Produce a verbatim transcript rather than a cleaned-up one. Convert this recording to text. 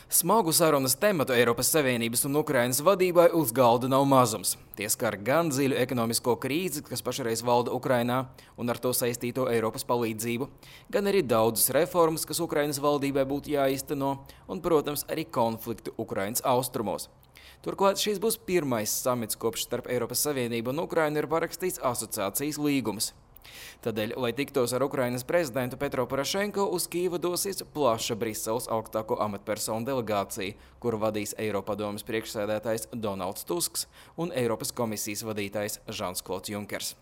Smagu sarunas tematu Eiropas Savienības un Ukrainas vadībai uz galda nav mazums. Tie skar gan dziļu ekonomisko krīzi, kas pašreiz valda Ukrainā, un ar to saistīto Eiropas palīdzību, gan arī daudzas reformas, kas Ukrainas valdībai būtu jāizteno, un, protams, arī konfliktu Ukrainas austrumos. Turklāt šis būs pirmais samits, kopš starp Eiropas Savienību un Ukrainu ir parakstīts asociācijas līgums. Tādēļ, lai tiktos ar Ukrainas prezidentu Petro Porošenko, uz Kīvu dosies plaša Briseles augstāko amatpersonu delegācija, kuru vadīs Eiropadomes priekšsēdētājs Donalds Tusks un Eiropas komisijas vadītājs Žans Klods Junkers.